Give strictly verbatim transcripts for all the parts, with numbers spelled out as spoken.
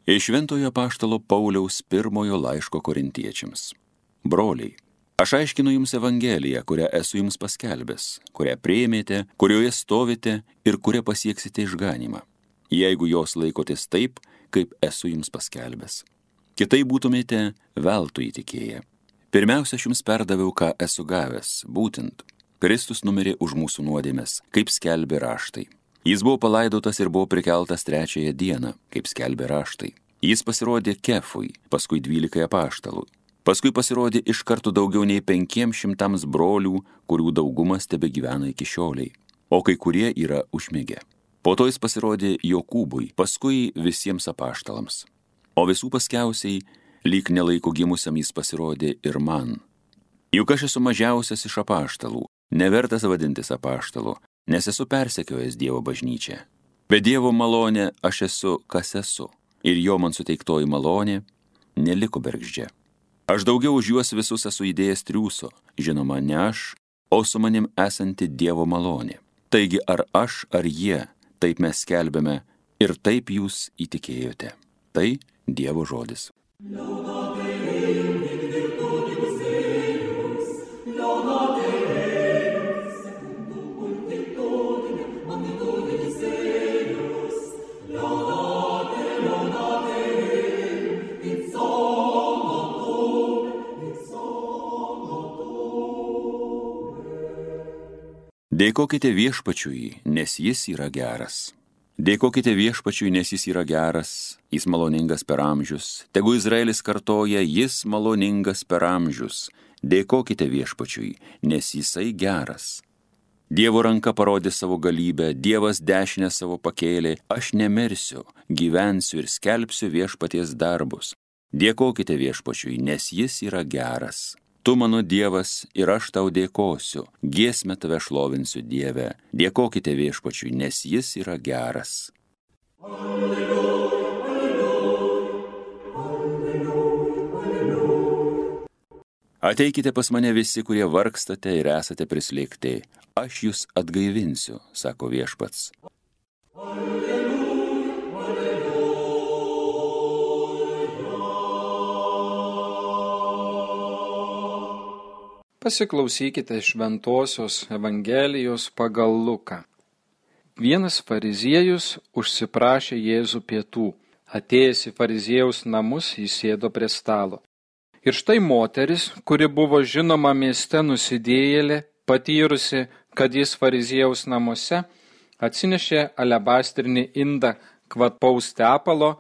Iš Šventojo apaštalo Pauliaus pirmojo laiško korintiečiams. Broliai, aš aiškinu jums Evangeliją, kurią esu jums paskelbęs, kurią priėmėte, kurioje stovite ir kurią pasieksite išganymą, jeigu jos laikotės taip, kaip esu jums paskelbęs. Kitaip būtumėte veltui įtikėję. Pirmiausia, aš jums perdaviau, ką esu gavęs, būtent Kristus numirė už mūsų nuodėmes, kaip skelbė raštai. Jis buvo palaidotas ir buvo prikeltas trečiąją dieną, kaip skelbė raštai. Jis pasirodė Kefui, paskui dvylikai apaštalų. Paskui pasirodė iš karto daugiau nei penkiems šimtams brolių, kurių daugumas tebegyvena iki šioliai, o kai kurie yra užmigę. Po to jis pasirodė Jokūbui, paskui visiems apaštalams. O visų paskiausiai, lyg nelaiko gimusiam jis pasirodė ir man. Juk aš esu mažiausias iš apaštalų, nevertas vadintis apaštalu, nes esu persekiojęs Dievo bažnyčią. Bet Dievo malonė aš esu, kas esu, ir jo man suteiktoji malonė neliko bergždžia. Aš daugiau už juos visus esu įdėjęs triūso, žinoma, ne aš, o su manim esanti Dievo malonė. Taigi ar aš, ar jie, taip mes skelbėme ir taip jūs įtikėjote. Tai Dievo žodis. Dėkokite viešpačiui, nes jis yra geras. Dėkokite viešpačiui, nes jis yra geras, jis maloningas per amžius. Tegu Izraelis kartoja, jis maloningas per amžius. Dėkokite viešpačiui, nes jisai geras. Dievo ranka parodė savo galybę, Dievas dešinę savo pakėlė. Aš nemirsiu, gyvensiu ir skelbsiu viešpaties darbus. Dėkokite viešpačiui, nes jis yra geras. Tu mano Dievas ir aš tau dėkosiu, giesmę tave šlovinsiu Dieve. Dėkokite viešpačiui, nes jis yra geras. Alleluja, alleluja, alleluja, alleluja. Ateikite pas mane visi, kurie vargstate ir esate prislėgti. Aš jūs atgaivinsiu, sako viešpats. Alleluja. Pasiklausykite Šventosios Evangelijos pagal Luką. Vienas fariziejus užsiprašė Jėzų pietų. Atėjęs į fariziejaus namus, jis sėdo prie stalo. Ir štai moteris, kuri buvo žinoma mieste nusidėjėlė, patyrusi, kad jis fariziejaus namuose, atsinešė alebastrinį indą kvapaus tepalo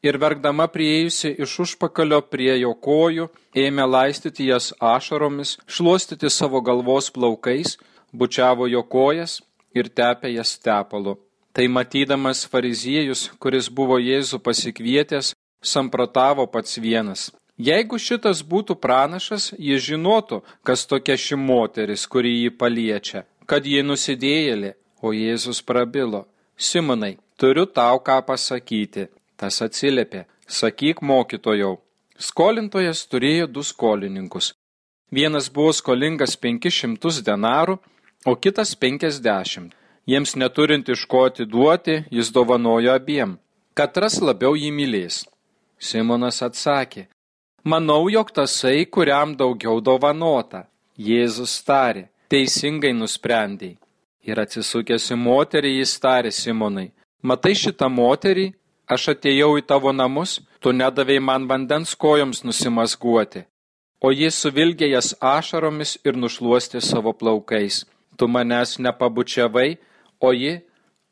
ir verkdama priėjusi iš užpakalio prie jo kojų, ėmė laistyti jas ašaromis, šluostyti savo galvos plaukais, bučiavo jo kojas ir tepė jas tepalu. Tai matydamas fariziejus, kuris buvo Jėzų pasikvietęs, samprotavo pats vienas. Jeigu šitas būtų pranašas, jis žinotų, kas tokia ši moteris, kuri jį paliečia, kad ji nusidėjėlė, o Jėzus prabilo. Simonai, turiu tau ką pasakyti. Tas atsiliepė, sakyk mokytojau. Skolintojas turėjo du skolininkus. Vienas buvo skolingas penkis šimtus denarų, o kitas penkiasdešimt. Jiems neturint iš ko atiduoti, jis dovanojo abiem. Katras labiau jį mylės? Simonas atsakė, manau, jog tasai, kuriam daugiau dovanota. Jėzus tarė, teisingai nusprendei. Ir atsisukęs į moterį, jis tarė Simonai, matai šitą moterį? Aš atėjau į tavo namus, tu nedavei man vandens kojoms nusimazguoti, o jis suvilgė jas ašaromis ir nušluostė savo plaukais. Tu manęs nepabučiavai, o ji,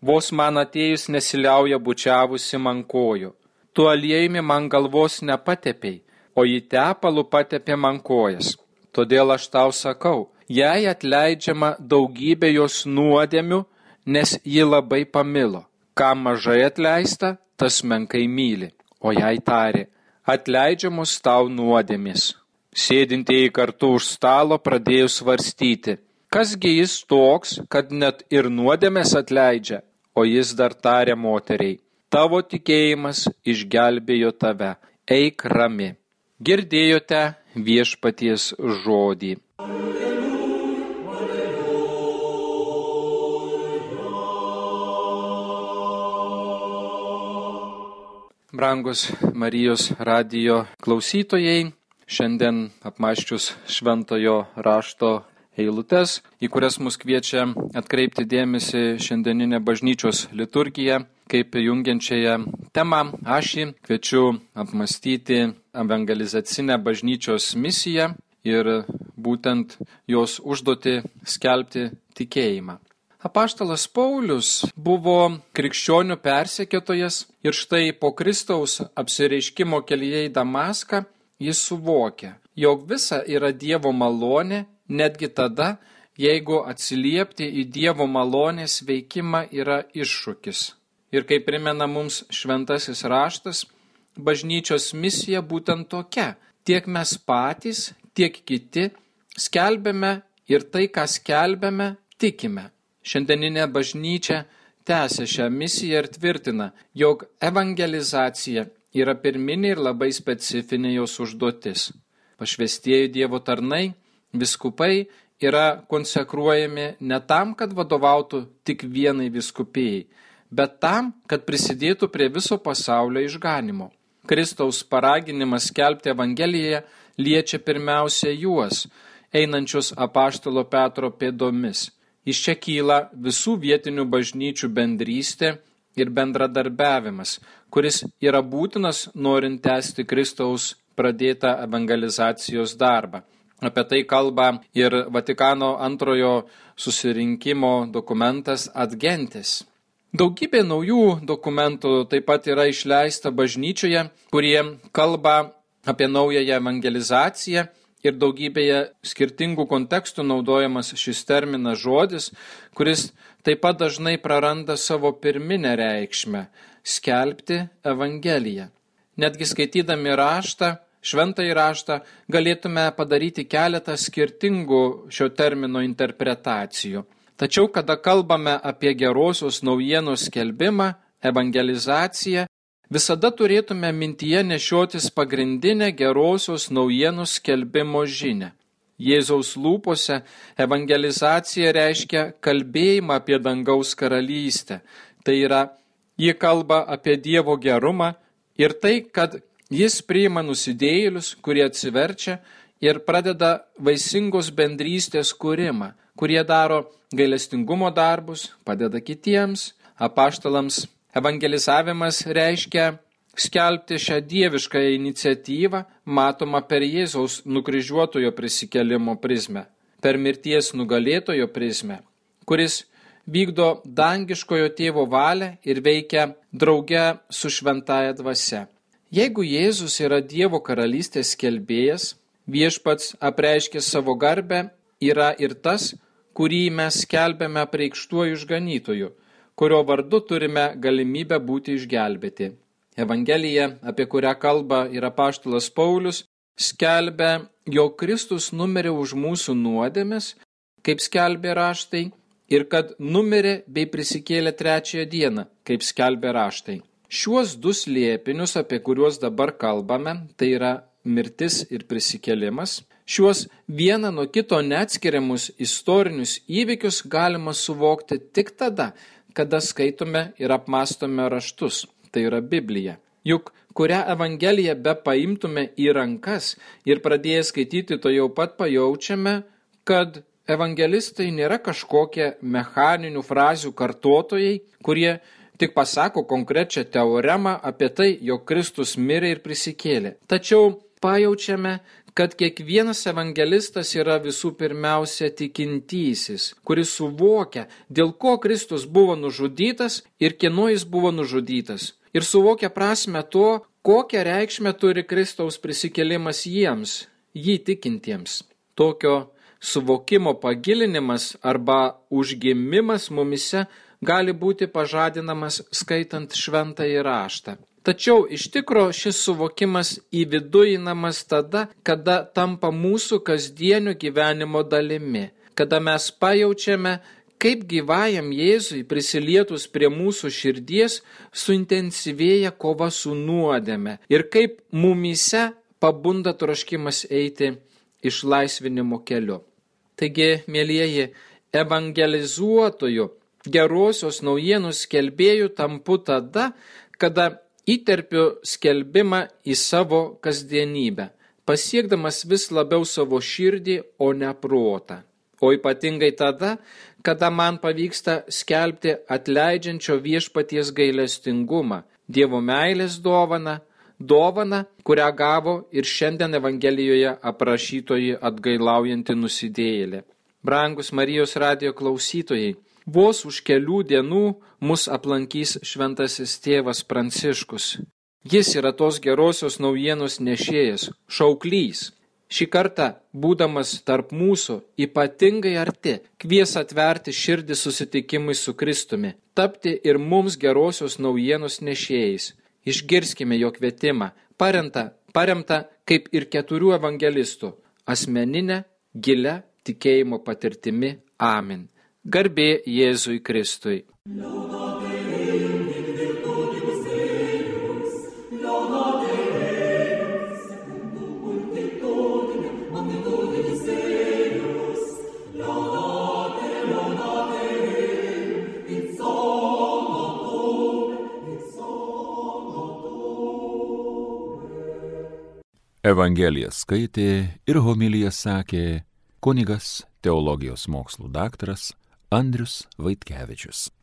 vos man atėjus nesiliauja bučiavusi man kojų. Tu aliejumi man galvos nepatepei, o ji tepalu patepė man kojas. Todėl aš tau sakau, jai atleidžiama daugybė jos nuodėmių, nes ji labai pamilo. Kam mažai atleista, tas menkai myli, o jai tarė, atleidžiamos tau nuodėmės. Sėdintieji kartu už stalo pradėjo svarstyti, kasgi jis toks, kad net ir nuodėmės atleidžia, o jis dar tarė moteriai, tavo tikėjimas išgelbėjo tave, eik rami. Girdėjote viešpaties žodį. Brangus Marijos radijo klausytojai, šiandien apmąsčius šventojo rašto eilutes, į kurias mus kviečia atkreipti dėmesį šiandieninė bažnyčios liturgija, kaip jungiančiąją temą, ašį, kviečiu apmąstyti evangelizacinę bažnyčios misiją ir būtent jos užduotį skelbti tikėjimą. Apaštalas Paulius buvo krikščionių persekiotojas ir štai po Kristaus apsireiškimo kelyje į Damaską jis suvokė, jog visa yra Dievo malonė, netgi tada, jeigu atsiliepti į Dievo malonės veikimą yra iššūkis. Ir kaip primena mums šventasis raštas, bažnyčios misija būtent tokia. Tiek mes patys, tiek kiti skelbiame ir tai, ką skelbiame, tikime. Šiandieninė bažnyčia tęsia šią misiją ir tvirtina, jog evangelizacija yra pirminė ir labai specifinė jos užduotis. Pašvestieji Dievo tarnai, vyskupai yra konsekruojami ne tam, kad vadovautų tik vienai vyskupijai, bet tam, kad prisidėtų prie viso pasaulio išganimo. Kristaus paraginimas skelbti Evangeliją liečia pirmiausia juos, einančius apaštalo Petro pėdomis. Iš čia kyla visų vietinių bažnyčių bendrystė ir bendradarbiavimas, kuris yra būtinas norint tęsti Kristaus pradėtą evangelizacijos darbą. Apie tai kalba ir Vatikano antrojo susirinkimo dokumentas Ad Gentes. Daugybė naujų dokumentų taip pat yra išleista bažnyčioje, kurie kalba apie naująją evangelizaciją ir daugybėje skirtingų kontekstų naudojamas šis terminas žodis, kuris taip pat dažnai praranda savo pirminę reikšmę – skelbti Evangeliją. Netgi skaitydami raštą, šventąjį raštą, galėtume padaryti keletą skirtingų šio termino interpretacijų. Tačiau, kada kalbame apie gerosios naujienos skelbimą, evangelizaciją, visada turėtume mintyje nešiotis pagrindinę gerosios naujienos skelbimo žinią. Jėzaus lūpose evangelizacija reiškia kalbėjimą apie dangaus karalystę. Tai yra, ji kalba apie Dievo gerumą ir tai, kad jis priima nusidėjėlius, kurie atsiverčia ir pradeda vaisingos bendrystės kūrimą, kurie daro gailestingumo darbus, padeda kitiems, apaštalams. Evangelizavimas reiškia skelbti šią dieviškąją iniciatyvą, matomą per Jėzaus nukryžiuotojo prisikėlimo prizmę, per mirties nugalėtojo prizmę, kuris vykdo dangiškojo tėvo valią ir veikia drauge su šventąja dvasia. Jeigu Jėzus yra Dievo karalystės skelbėjas, viešpats apreiškė savo garbę, yra ir tas, kurį mes skelbiame apreikštuoju išganytoju, kurio vardu turime galimybę būti išgelbėti. Evangelija, apie kurią kalba ir apaštalas Paulius, skelbia, jog Kristus numirė už mūsų nuodėmes, kaip skelbė raštai, ir kad numirė bei prisikėlė trečiąją dieną, kaip skelbė raštai. Šiuos du slėpinius, apie kuriuos dabar kalbame, tai yra mirtis ir prisikėlimas, šiuos vieną nuo kito neatskiriamus istorinius įvykius galima suvokti tik tada, kada skaitome ir apmąstome raštus, tai yra Bibliją. Juk kurią Evangeliją be paimtume į rankas ir pradėję skaityti, to jau pat pajaučiame, kad evangelistai nėra kažkokie mechaninių frazių kartotojai, kurie tik pasako konkrečią teoremą apie tai, jog Kristus mirė ir prisikėlė. Tačiau pajaučiame, kad kiekvienas evangelistas yra visų pirmiausia tikintysis, kuris suvokia, dėl ko Kristus buvo nužudytas ir kieno jis buvo nužudytas. Ir suvokia prasme to, kokią reikšmę turi Kristaus prisikėlimas jiems, jį tikintiems. Tokio suvokimo pagilinimas arba užgimimas mumise gali būti pažadinamas skaitant šventąjį raštą. Tačiau iš tikro šis suvokimas įviduinamas tada, kada tampa mūsų kasdienio gyvenimo dalimi, kada mes pajaučiame, kaip gyvajam Jėzui prisilietus prie mūsų širdies suintensyvėja kova su nuodėme ir kaip mumyse pabunda troškimas eiti išlaisvinimo keliu. Taigi, mielieji, evangelizuotojų, gerosios naujienos skelbėjų tampu tada, kada įterpiu skelbimą į savo kasdienybę, pasiekdamas vis labiau savo širdį, o ne protą. O ypatingai tada, kada man pavyksta skelbti atleidžiančio viešpaties gailestingumą, Dievo meilės dovaną, dovaną, kurią gavo ir šiandien Evangelijoje aprašytoji atgailaujanti nusidėjėlė. Brangus Marijos radijo klausytojai, vos už kelių dienų mus aplankys šventasis tėvas Pranciškus. Jis yra tos gerosios naujienos nešėjas, šauklys. Šį kartą, būdamas tarp mūsų, ypatingai arti, kvies atverti širdį susitikimui su Kristumi, tapti ir mums gerosios naujienos nešėjais. Išgirskime jo kvietimą, paremtą, paremtą kaip ir keturių evangelistų, asmeninę, gilią tikėjimo patirtimi. Amen. Garbė Jėzui Kristui. Evangeliją skaitė ir homiliją sakė kunigas teologijos mokslų daktaras Andrius Vaitkevičius.